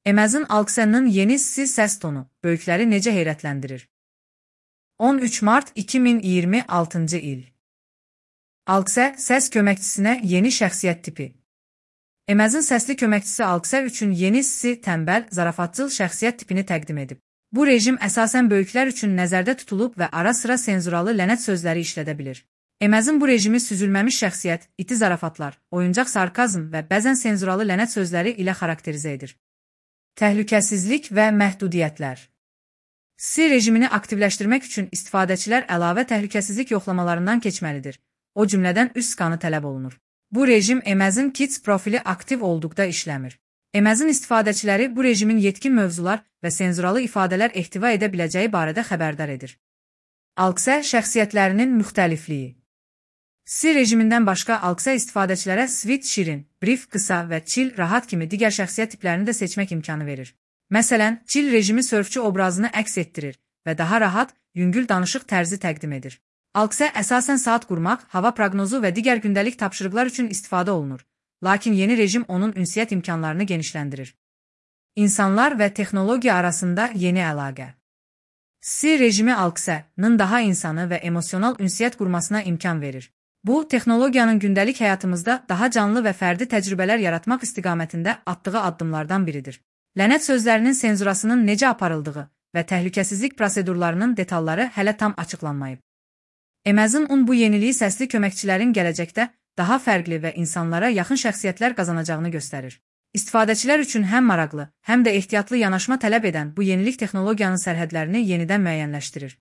Amazon Alexa'nın yeni ses tonu böyükləri necə heyrətləndirir? 13 mart 2026 il. Alexa səs köməkçisinə yeni şəxsiyyət tipi. Amazon səsli köməkçisi Alexa üçün yeni tənbəl, zarafatcıl şəxsiyyət tipini təqdim edib. Bu rejim əsasən böyüklər üçün nəzərdə tutulub və ara-sıra senzuralı lənət sözləri işlədə bilir. Amazon bu rejimi süzülməmiş şəxsiyyət, iti zarafatlar, oyuncaq sarkazm və bəzən senzuralı lənət sözləri ilə xarakterizə edir. Təhlükəsizlik və məhdudiyyətlər. Rejimini aktivləşdirmək üçün istifadəçilər əlavə təhlükəsizlik yoxlamalarından keçməlidir. O cümlədən üst skanı tələb olunur. Bu rejim Amazon Kids profili aktiv olduqda işləmir. Amazon istifadəçiləri bu rejimin yetkin mövzular və senzuralı ifadələr ehtiva edə biləcəyi barədə xəbərdar edir. Alexa şəxsiyyətlərinin müxtəlifliyi. Rejimindən başqa Alexa istifadəçilərə sweet, şirin, brief, qısa və chill, rahat kimi digər şəxsiyyət tiplərini də seçmək imkanı verir. Məsələn, chill rejimi sörfçü obrazını əks etdirir və daha rahat, yüngül danışıq tərzi təqdim edir. Alexa əsasən saat qurmaq, hava proqnozu və digər gündəlik tapşırıqlar üçün istifadə olunur. Lakin yeni rejim onun ünsiyyət imkanlarını genişləndirir. İnsanlar və texnologiya arasında yeni əlaqə. Rejimi Alexa'nın daha insanı və emosional ünsiyyət qurmasına imkan verir. Bu, texnologiyanın gündəlik həyatımızda daha canlı və fərdi təcrübələr yaratmaq istiqamətində atdığı addımlardan biridir. Lənət sözlərinin senzurasının necə aparıldığı və təhlükəsizlik prosedurlarının detalları hələ tam açıqlanmayıb. Amazon bu yeniliyi səsli köməkçilərin gələcəkdə daha fərqli və insanlara yaxın şəxsiyyətlər qazanacağını göstərir. İstifadəçilər üçün həm maraqlı, həm də ehtiyatlı yanaşma tələb edən bu yenilik texnologiyanın sərhədlərini yenidən müəyyənləşdirir.